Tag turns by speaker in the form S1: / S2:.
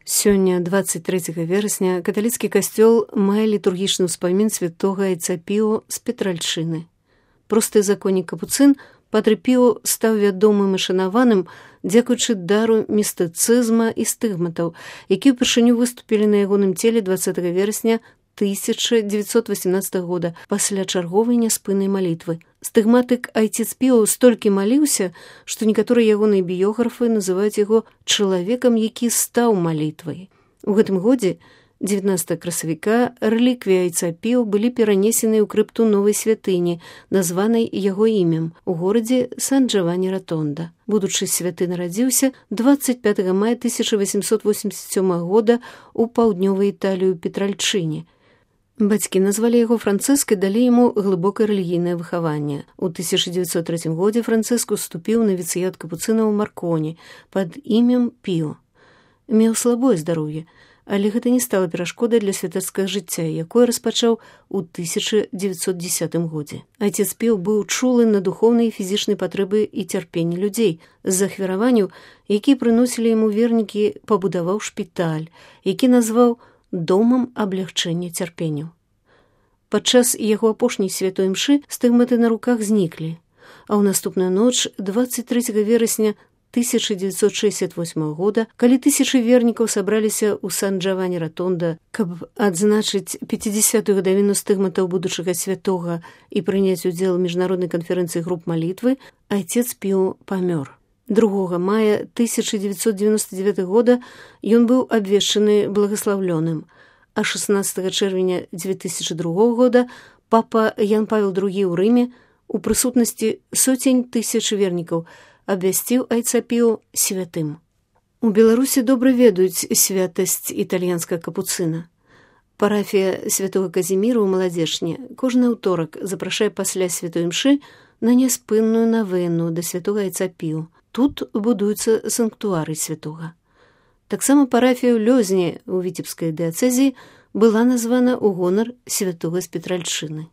S1: Сёння, 23 верасня, каталіцкі касцёл мае літургічны ўспамін святога Айцапіо з Петральчыны. Просты законнік капуцын Патры Піо стаў вядомым і шанаваным дзякуючы дару містыцызма і стыгматаў, які ўпершыню выступілі на ягоным целе 20 верасня 1918 года пасля чарговай няспыннай малітвы. Стыгматык Айцец Піо столькі маліўся, што некаторыя ягоныя біёграфы называюць яго чалавекам, які стаў малітвай. У гэтым годзе, 19 красавіка, рэліквіі Айца Піо былі перанесены ў крыпту новай святыні, названай яго імем, у горадзе Сан-Джавані-Ратонда. Будучы святы нарадзіўся 25 мая 1887 года ў паўднёвай Італіі ў Петральчыне. Бацькі назвалі яго Францыск і далі яму глыбокае рэлігійнае выхаванне. У 1903 годзе Францыск уступіў на навіцыят капуцынаў у Марконі пад імем Піо. Меў слабое здароўе, але гэта не стала перашкодай для святарскага жыцця, якое распачаў у 1910 годзе. Айцец Піо быў чулы на духоўныя і фізічныя патрэбы і цярпенні людзей. З захвяраванняў, якія прыносілі яму вернікі, пабудаваў шпіталь, які назваў домам аблягчэння цярпенняў. Падчас яго апошняй святой імшы стыгматы на руках зніклі, а ў наступную ноч, 23 верасня 1968 года, калі тысячы вернікаў сабраліся ў Сан-Джавані-Ратонда, каб адзначыць 50-ю гадавіну стыгматаў будучага святога і прыняць удзел у міжнароднай канферэнцыі груп малітвы, Айцец Піо памёр. 2 мая 1999 года ён быў абвешчаны благаслаўлёным, а 16 чэрвеня 2002 года папа Ян Павел II ў Рыме у прысутнасці соцень тысяч вернікаў абвясціў Айца Піо святым. У Беларусі добра ведаюць святасць італьянскага капуцына. Парафія святога Казіміра ў Маладзечні кожны аўторак запрашае пасля святой імшы на няспынную навену да святога Айца Піо. Тут будуецца санктуарый святога. Таксама парафія ў Лёзні ў Віцебскай дыяцэзіі была названа ў гонар святога з Петральчыны.